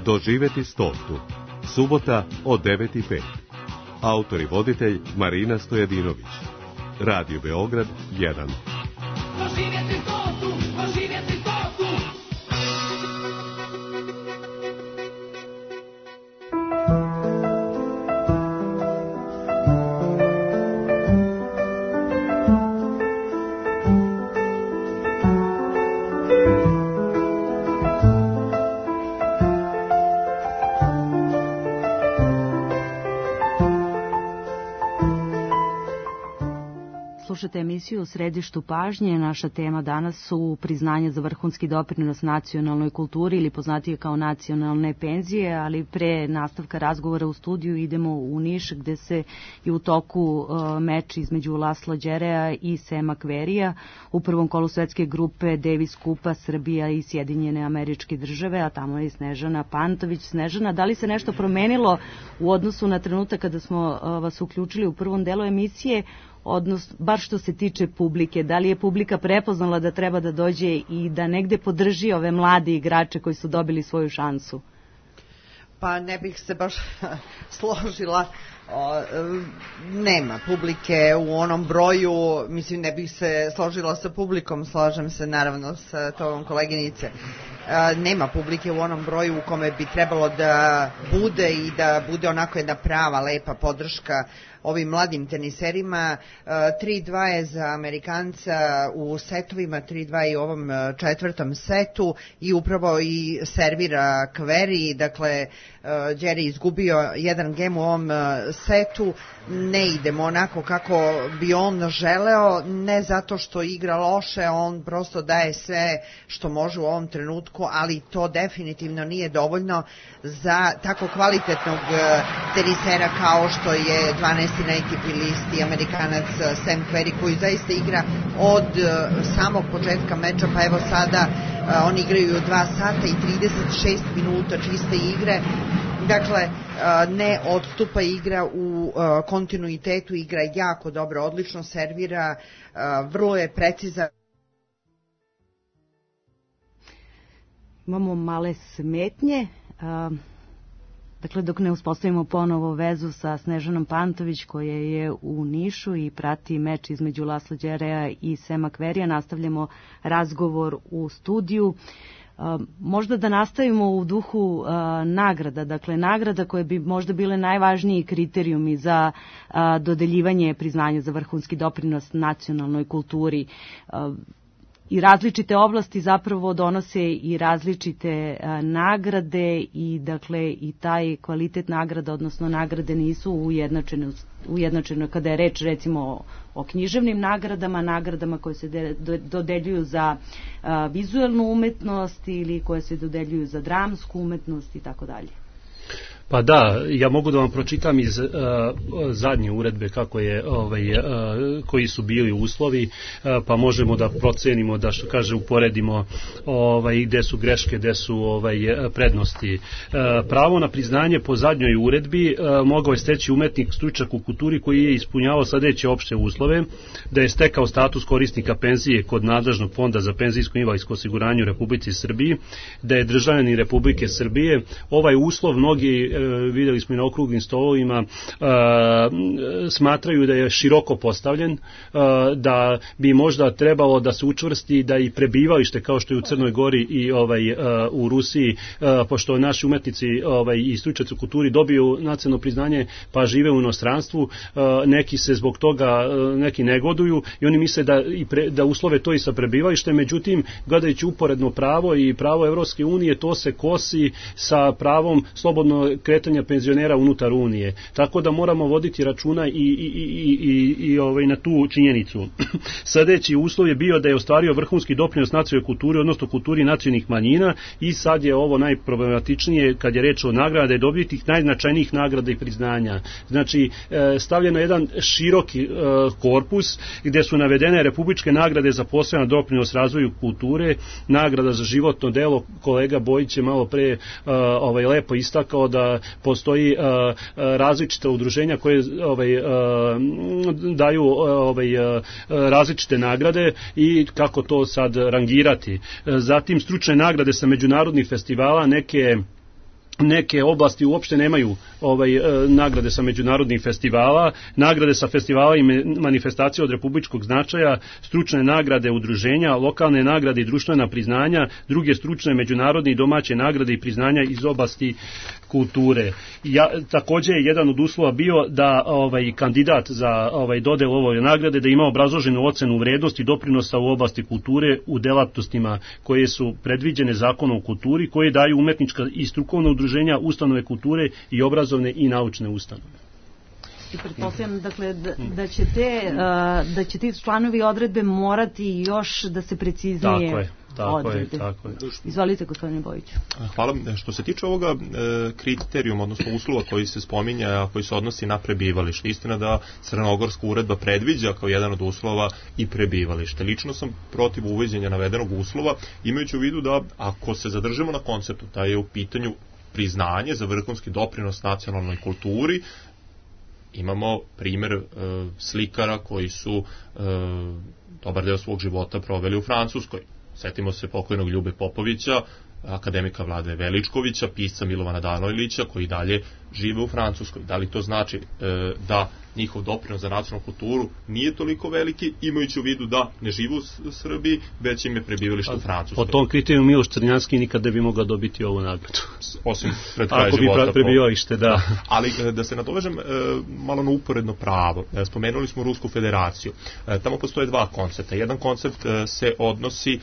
Doživeti 100. Subota od 9:05. Autor i voditelj Marina Stojadinović. Radio Beograd 1. Doživjeti 100, doživjeti 100. Slušate emisiju U središtu pažnje. Naša tema danas su priznanje za vrhunski doprinos nacionalnoj kulturi ili poznatije kao nacionalne penzije, ali pre nastavka razgovora u studiju idemo u Niš gde se je u toku meč između Lasla Đerea i Sema Kverija u prvom kolu svetske grupe Davis Kupa Srbija i Sjedinjene Američke Države, a tamo je i Snežana Pantović. Snežana, da li se nešto promenilo u odnosu na trenutak kada smo vas uključili u prvom delu emisije, odnos, bar što se tiče publike, da li je publika prepoznala da treba da dođe i da negde podrži ove mlade igrače koji su dobili svoju šansu? Pa ne bih se baš složila, nema publike u onom broju, mislim ne bih se složila sa publikom, slažem se naravno sa tobom koleginice. Nema publike u onom broju u kome bi trebalo da bude i da bude onako jedna prava, lepa podrška ovim mladim teniserima. 3-2 je za Amerikanca u setovima, 3-2 i u ovom četvrtom setu i upravo i servira Kveri, dakle Đeri izgubio jedan gem u ovom setu, ne idemo onako kako bi on želeo, ne zato što igra loše, on prosto daje sve što može u ovom trenutku, ali to definitivno nije dovoljno za tako kvalitetnog tenisera kao što je 12. na ATP listi Amerikanac Sam Querrey, koji zaista igra od samog početka meča, pa evo sada oni igraju 2 sata i 36 minuta čiste igre. Dakle, ne odstupa, igra u kontinuitetu, igra jako dobro, odlično servira, vrlo je precizan. Imamo male smetnje. Dakle, dok ne uspostavimo ponovo vezu sa Snežanom Pantović, koja je u Nišu i prati meč između Lasla Đerea i Sema Kverija, nastavljamo razgovor u studiju. Možda da nastavimo u duhu nagrada, dakle nagrada koje bi možda bile najvažniji kriterijumi za dodeljivanje priznanja za vrhunski doprinos nacionalnoj kulturi. I različite oblasti zapravo donose i različite nagrade i dakle i taj kvalitet nagrada, odnosno nagrade nisu ujednačene kada je reč recimo o književnim nagradama koje se dodeljuju za vizuelnu umetnost ili koje se dodeljuju za dramsku umetnost i tako dalje. Pa da, ja mogu da vam pročitam iz zadnje uredbe kako je koji su bili uslovi, pa možemo da procenimo, da što kaže uporedimo gde su greške, gde su prednosti. Pravo na priznanje po zadnjoj uredbi mogao je steći umetnik stručnjak u kulturi koji je ispunjavao sledeće opšte uslove: da je stekao status korisnika penzije kod nadležnog fonda za penzijsko i invalidsko osiguranje u Republici Srbiji, da je državljanin Republike Srbije. Ovaj uslov mnogi, vidjeli smo i na okruglim stolovima, smatraju da je široko postavljen, da bi možda trebalo da se učvrsti da i prebivalište, kao što je u Crnoj Gori i u Rusiji, pošto naši umetnici i stručnjaci u kulturi dobiju nacionalno priznanje pa žive u inostranstvu, neki se zbog toga neki negoduju i oni misle da uslove to i sa prebivalištem. Međutim, gledajući uporedno pravo i pravo Evropske unije, to se kosi sa pravom slobodno kretanja penzionera unutar Unije. Tako da moramo voditi računa i na tu činjenicu. Sledeći uslov je bio da je ostvario vrhunski doprinos nacionalnoj kulturi, odnosno kulturi nacionalnih manjina, i sad je ovo najproblematičnije kad je reč o nagrada i dobitih najznačajnijih nagrada i priznanja. Znači, stavljeno jedan široki korpus gde su navedene republičke nagrade za poseban doprinos razvoju kulture, nagrada za životno delo. Kolega Bojić je malo pre lepo istakao da postoji različita udruženja koje daju različite nagrade i kako to sad rangirati. Zatim stručne nagrade sa međunarodnih festivala, neke oblasti uopšte nemaju nagrade sa međunarodnih festivala, nagrade sa festivala i manifestacije od republičkog značaja, stručne nagrade udruženja, lokalne nagrade i društvena priznanja, druge stručne međunarodne i domaće nagrade i priznanja iz oblasti kulture. Takođe je jedan od uslova bio da kandidat za dodelu ove nagrade da ima obrazloženu ocenu vrednosti doprinosa u oblasti kulture u delatnostima koje su predviđene Zakonom o kulturi, koje daju umetnička i strukovna udruženja, ustanove kulture i obrazovne i naučne ustanove. I pretpostavljam, dakle, da će ti članovi odredbe morati još da se preciznije odrede. Tako je. Izvolite, gospodine Bojiću. Hvala. Što se tiče ovoga kriterijuma, odnosno uslova koji se spominja, a koji se odnosi na prebivalište, istina da Crnogorska uredba predviđa kao jedan od uslova i prebivalište. Lično sam protiv uvođenja navedenog uslova, imajući u vidu da ako se zadržimo na konceptu da je u pitanju priznanje za vrhunski doprinos nacionalnoj kulturi, imamo primjer slikara koji su dobar deo svog života proveli u Francuskoj. Setimo se pokojnog Ljube Popovića, akademika Vlade Veličkovića, pisca Milovana Danojlića, koji dalje žive u Francuskoj. Da li to znači da njihov doprinos za nacionalnu kulturu nije toliko veliki, imajući u vidu da ne žive u Srbiji, već im je prebivalište u Francuskoj? Po tom kriteriju Miloš Crnjanski nikada bi mogao dobiti ovu nagradu. Osim pred kraj života. Ako bi prebivalište, da. Ali da se nadovežem malo na uporedno pravo. Spomenuli smo Rusku federaciju. Tamo postoje dva koncepta. Jedan koncept se odnosi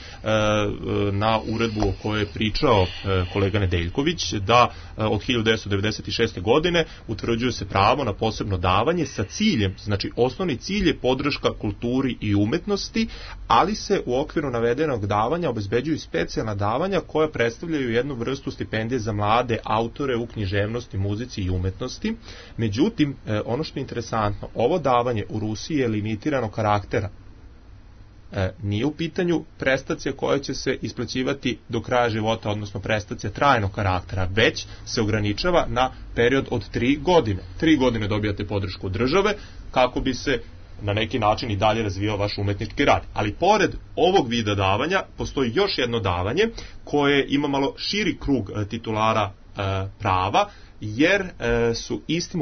na uredbu o kojoj je pričao kolega Nedeljković, da od 1996. godine utvrđuje se pravo na posebno davanje sa ciljem, znači osnovni cilj je podrška kulturi i umetnosti, ali se u okviru navedenog davanja obezbeđuju specijalna davanja koja predstavljaju jednu vrstu stipendije za mlade autore u književnosti, muzici i umetnosti. Međutim, ono što je interesantno, ovo davanje u Rusiji je limitirano karaktera. Nije u pitanju prestacija koja će se isplaćivati do kraja života, odnosno prestacija trajnog karaktera, već se ograničava na period od 3 godine. 3 godine dobijate podršku države kako bi se na neki način i dalje razvijao vaš umetnički rad. Ali pored ovog vida davanja postoji još jedno davanje koje ima malo širi krug titulara prava, jer su istim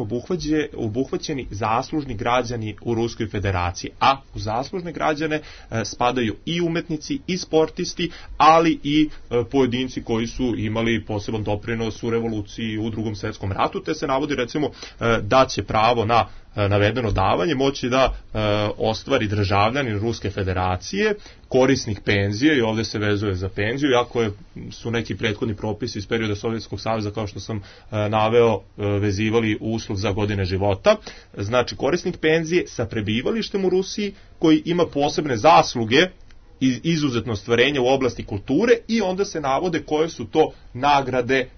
obuhvaćeni zaslužni građani u Ruskoj federaciji, a u zaslužne građane spadaju i umetnici i sportisti, ali i pojedinci koji su imali poseban doprinos u revoluciji u Drugom svjetskom ratu, te se navodi recimo da će pravo na navedeno davanje moći da ostvari državljanin Ruske federacije, korisnik penzije, i ovdje se vezuje za penziju, iako su neki prethodni propisi iz perioda Sovjetskog saveza, kao što sam naveo, vezivali uslov za godine života. Znači, korisnik penzije sa prebivalištem u Rusiji koji ima posebne zasluge i izuzetno ostvarenje u oblasti kulture, i onda se navode koje su to nagrade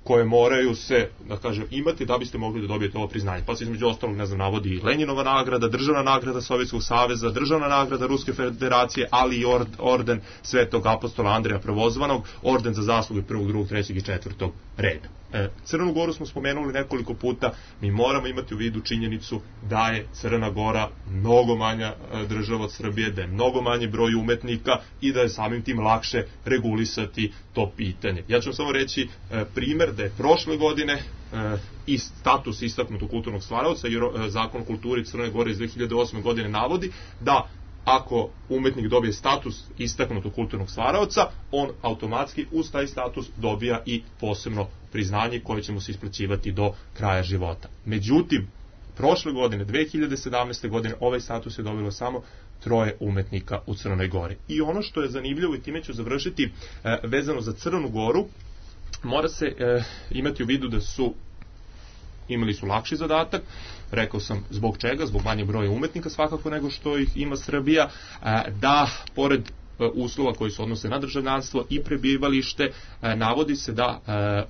koje moraju se, da kažem, imati da biste mogli da dobijete ovo priznanje. Pa se između ostalog, ne znam, navodi Lenjinova nagrada, državna nagrada Sovjetskog saveza, državna nagrada Ruske federacije, ali i orden Svetog apostola Andreja Prvozvanog, orden za zasluge 1., 2., 3. i 4. reda. Crnu Goru smo spomenuli nekoliko puta, mi moramo imati u vidu činjenicu da je Crna Gora mnogo manja država od Srbije, da je mnogo manji broj umetnika i da je samim tim lakše regulisati to pitanje. Ja ću vam samo reći primer da je prošle godine i status istaknutog kulturnog stvaraoca, jer Zakon o kulturi Crne Gore iz 2008. godine navodi da ako umetnik dobije status istaknutog kulturnog stvaraoca, on automatski uz taj status dobija i posebno priznanje koje će mu se isplaćivati do kraja života. Međutim, prošle godine, 2017. godine, ovaj status je dobilo samo 3 umetnika u Crnoj Gori. I ono što je zanimljivo, i time ću završiti, vezano za Crnu Goru, mora se imati u vidu da imali su lakši zadatak, rekao sam zbog čega, zbog manje broja umetnika svakako nego što ih ima Srbija, da pored uslova koji se odnose na državljanstvo i prebivalište, navodi se da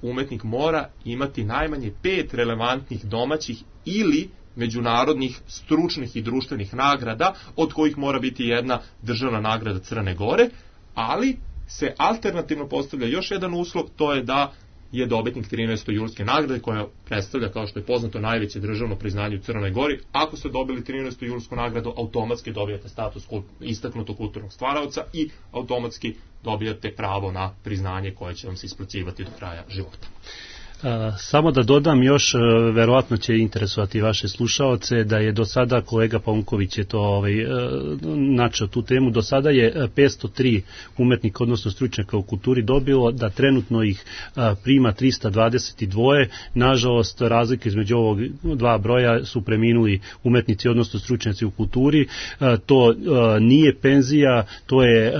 umetnik mora imati najmanje 5 relevantnih domaćih ili međunarodnih stručnih i društvenih nagrada, od kojih mora biti jedna državna nagrada Crne Gore, ali se alternativno postavlja još jedan uslov, to je da je dobitnik 13. julske nagrade, koja predstavlja, kao što je poznato, najveće državno priznanje u Crnoj Gori. Ako ste dobili 13. julsku nagradu, automatski dobijate status istaknutog kulturnog stvaraoca i automatski dobijate pravo na priznanje koje će vam se isplaćivati do kraja života. Samo da dodam još, verovatno će interesovati vaše slušaoce, da je do sada, kolega Paunković je to načeo tu temu, do sada je 503 umetnika, odnosno stručnjaka u kulturi dobilo, da trenutno ih prima 322, nažalost razlike između ovog dva broja su preminuli umetnici, odnosno stručnjaci u kulturi, to nije penzija, to je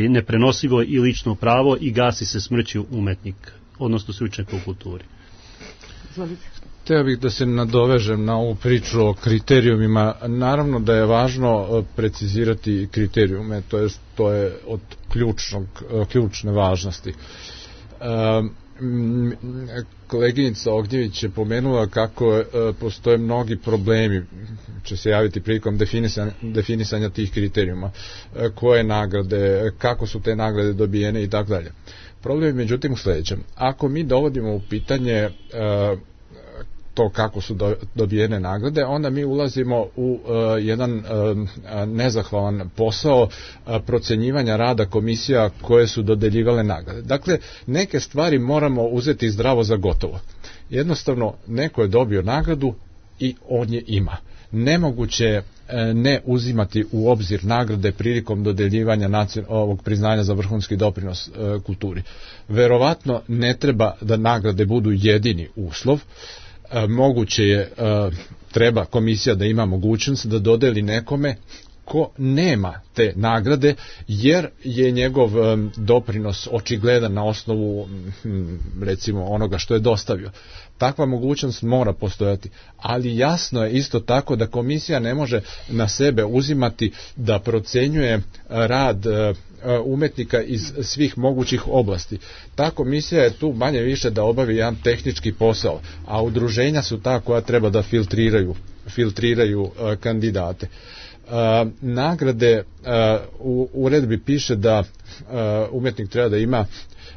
neprenosivo i lično pravo i gasi se smrću umetnika, odnosno stručnjaka u kulturi. Hteo bih da se nadovežem na ovu priču o kriterijumima. Naravno da je važno precizirati kriterijume, to je od ključne važnosti. Koleginica Ognjević je pomenula kako postoje mnogi problemi, će se javiti prilikom definisanja tih kriterijuma, koje nagrade, kako su te nagrade dobijene i tako dalje. Problem je međutim u sljedećem. Ako mi dovodimo u pitanje to kako su dobijene nagrade, onda mi ulazimo u jedan nezahvalan posao procenjivanja rada komisija koje su dodeljivale nagrade. Dakle, neke stvari moramo uzeti zdravo za gotovo. Jednostavno, neko je dobio nagradu i on je ima. Nemoguće ne uzimati u obzir nagrade prilikom dodeljivanja ovog priznanja za vrhunski doprinos kulturi. Verovatno ne treba da nagrade budu jedini uslov. Moguće je, treba komisija da ima mogućnost da dodeli nekome ko nema te nagrade, jer je njegov doprinos očigledan na osnovu recimo onoga što je dostavio. Takva mogućnost mora postojati, ali jasno je isto tako da komisija ne može na sebe uzimati da procenjuje rad umetnika iz svih mogućih oblasti. Ta komisija je tu manje više da obavi jedan tehnički posao, a udruženja su ta koja treba da filtriraju kandidate. nagrade, u uredbi piše da umetnik treba da ima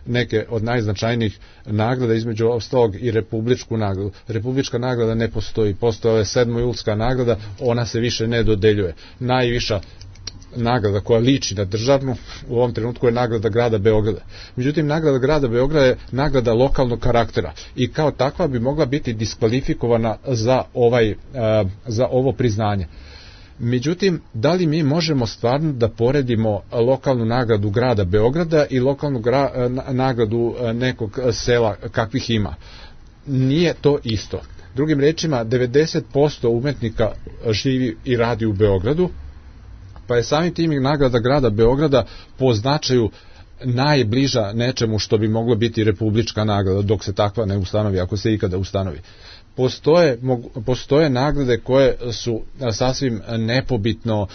neke od najznačajnijih nagrada, između ostalog i republičku nagradu. Republička nagrada ne postoji, postoje 7. julska nagrada, ona se više ne dodeljuje. Najviša nagrada koja liči na državnu u ovom trenutku je nagrada grada Beograda. Međutim, nagrada grada Beograda je nagrada lokalnog karaktera i kao takva bi mogla biti diskvalifikovana za ovo priznanje. Međutim, da li mi možemo stvarno da poredimo lokalnu nagradu grada Beograda i lokalnu nagradu nekog sela kakvih ima? Nije to isto. Drugim rečima, 90% umetnika živi i radi u Beogradu, pa je samim tim i nagrada grada Beograda po značaju najbliža nečemu što bi moglo biti republička nagrada, dok se takva ne ustanovi, ako se ikada ustanovi. Postoje nagrade koje su sasvim nepobitno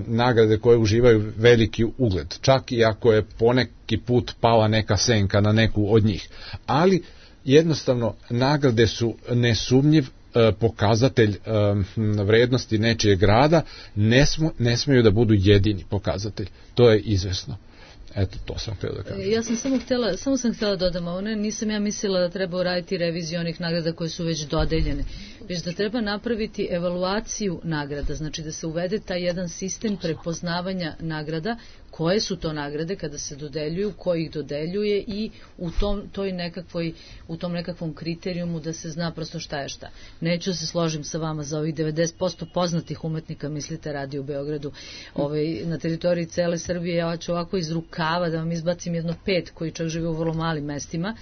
nagrade koje uživaju veliki ugled, čak i ako je poneki put pala neka senka na neku od njih. Ali jednostavno nagrade su nesumnjiv pokazatelj vrednosti nečijeg rada, ne smeju da budu jedini pokazatelj. To je izvesno. Eto, to sam htjela da kažem. Ja sam samo sam htjela dodam, one nisam ja mislila da treba uraditi reviziju onih nagrada koje su već dodeljene, već da treba napraviti evaluaciju nagrada, znači da se uvede taj jedan sistem prepoznavanja nagrada, koje su to nagrade kada se dodeljuju, ko ih dodeljuje i u tom nekakvom kriterijumu da se zna prosto šta je šta. Neću se složim sa vama za ovih 90% poznatih umetnika, mislite, radi u Beogradu, na teritoriji cele Srbije. Ja ću ovako iz rukava da vam izbacim jedno 5 koji čak žive u vrlo malim mestima.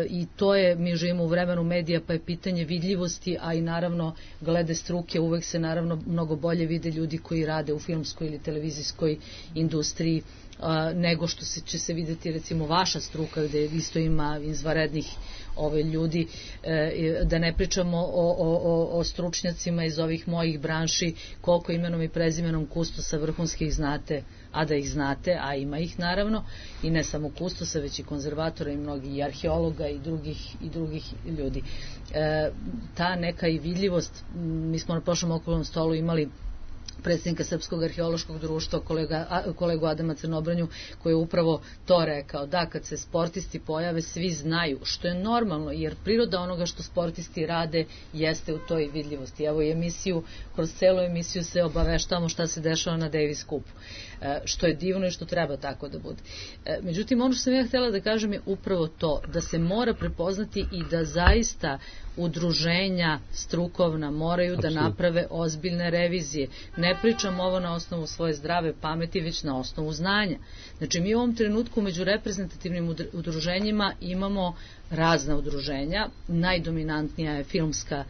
I to je, mi živimo u vremenu medija, pa je pitanje vidljivosti, a i naravno glede struke, uvek se naravno mnogo bolje vide ljudi koji rade u filmskoj ili televizijskoj industriji nego što će se videti recimo vaša struka, gde isto ima izvanrednih ljudi, da ne pričamo o stručnjacima iz ovih mojih branši, koliko imenom i prezimenom kustosa vrhunskih znate, a da ih znate, a ima ih naravno, i ne samo kustosa, već i konzervatora i mnogi i arheologa i drugih ljudi. Ta neka i vidljivost, mi smo na prošlom okruglom stolu imali predsjednika Srpskog arheološkog društva, kolegu Adama Crnobranju, koji je upravo to rekao, da kad se sportisti pojave, svi znaju, što je normalno, jer priroda onoga što sportisti rade jeste u toj vidljivosti. Evo i kroz celu emisiju se obaveštavamo šta se dešava na Davis Cupu, što je divno i što treba tako da bude. Međutim, ono što sam ja htjela da kažem je upravo to, da se mora prepoznati i da zaista udruženja strukovna moraju da naprave ozbiljne revizije. Ne pričam ovo na osnovu svoje zdrave pameti, već na osnovu znanja. Znači, mi u ovom trenutku među reprezentativnim udruženjima imamo razna udruženja, najdominantnija je filmska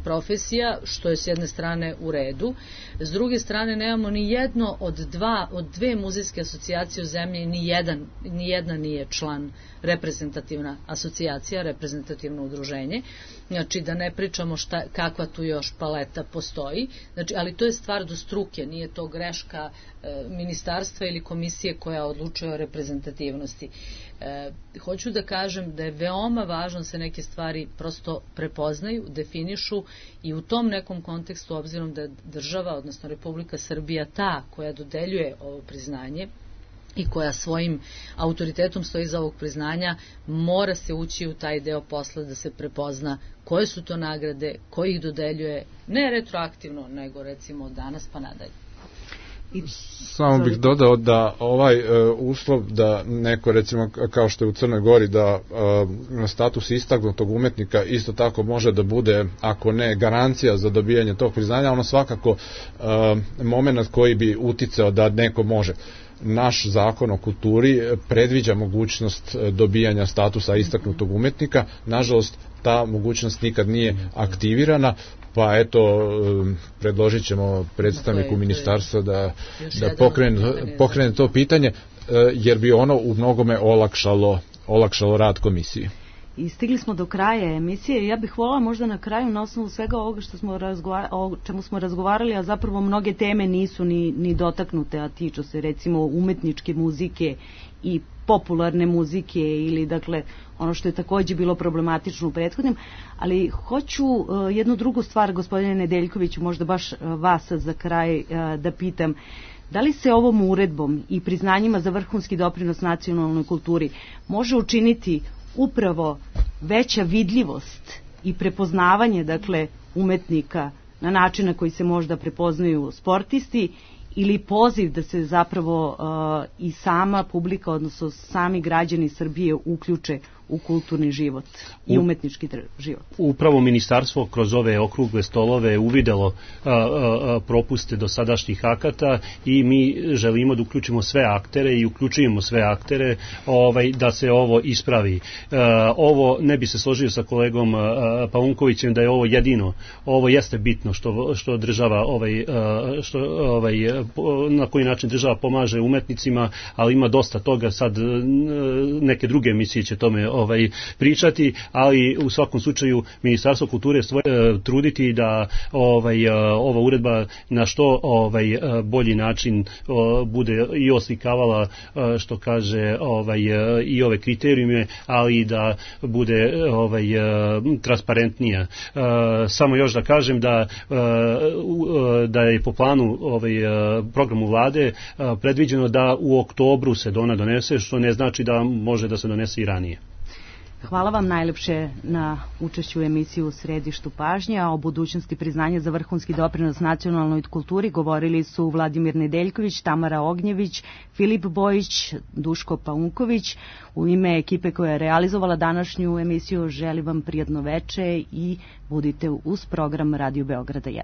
profesija, što je s jedne strane u redu, s druge strane nemamo ni jedno od dve muzejske asocijacije u zemlji, ni jedna nije član reprezentativna asocijacija, reprezentativno udruženje, znači da ne pričamo kakva tu još paleta postoji, znači, ali to je stvar do struke, nije to greška ministarstva ili komisije koja odlučuje o reprezentativnosti. Hoću da kažem da je veoma važno da se neke stvari prosto prepoznaju, definišu i u tom nekom kontekstu, obzirom da je država, odnosno Republika Srbija ta koja dodeljuje ovo priznanje i koja svojim autoritetom stoji iza ovog priznanja, mora se ući u taj deo posla da se prepozna koje su to nagrade, ko ih dodeljuje, ne retroaktivno, nego recimo od danas pa nadalje. Samo bih dodao da ovaj uslov da neko, recimo kao što je u Crnoj Gori, da status istaknutog umetnika isto tako može da bude, ako ne garancija za dobijanje tog priznanja, ono svakako moment koji bi uticao da neko može. Naš zakon o kulturi predviđa mogućnost dobijanja statusa istaknutog umetnika, nažalost ta mogućnost nikad nije aktivirana, pa eto, predložit ćemo predstavniku ministarstva da pokrene to pitanje, jer bi ono u mnogome olakšalo rad komisije. I stigli smo do kraja emisije. Ja bih voljela možda na kraju, na osnovu svega ovoga o čemu smo razgovarali, a zapravo mnoge teme nisu ni dotaknute, a tiču se recimo umetničke muzike i popularne muzike ili dakle ono što je takođe bilo problematično u prethodnim, ali hoću jednu drugu stvar, gospodine Nedeljkoviću, možda baš vas za kraj da pitam. Da li se ovom uredbom i priznanjima za vrhunski doprinos nacionalnoj kulturi može učiniti upravo veća vidljivost i prepoznavanje, dakle, umetnika na način na koji se možda prepoznaju sportisti, ili poziv da se zapravo i sama publika, odnosno sami građani Srbije uključe u kulturni život i umetnički život? Upravo ministarstvo kroz ove okrugle stolove uvidelo propuste dosadašnjih akata i mi želimo da uključimo sve aktere i uključujemo sve aktere da se ovo ispravi. Ovo ne bi se složio sa kolegom Paunkovićem da je ovo jedino. Ovo jeste bitno što država na koji način država pomaže umetnicima, ali ima dosta toga, sad neke druge emisije će tome pričati, ali u svakom slučaju Ministarstvo kulture truditi da ova uredba na što bolji način bude i oslikavala, što kaže, i ove kriterijume, ali i da bude transparentnija. Samo još da kažem da je po planu programu vlade predviđeno da u oktobru se ona donese, što ne znači da može da se donese i ranije. Hvala vam najlepše na učešću u emisiji U središtu pažnje, a o budućnosti priznanja za vrhunski doprinos nacionalnoj kulturi govorili su Vladimir Nedeljković, Tamara Ognjević, Filip Bojić, Duško Paunković. U ime ekipe koja je realizovala današnju emisiju želim vam prijatno veče i budite uz program Radio Beograda 1.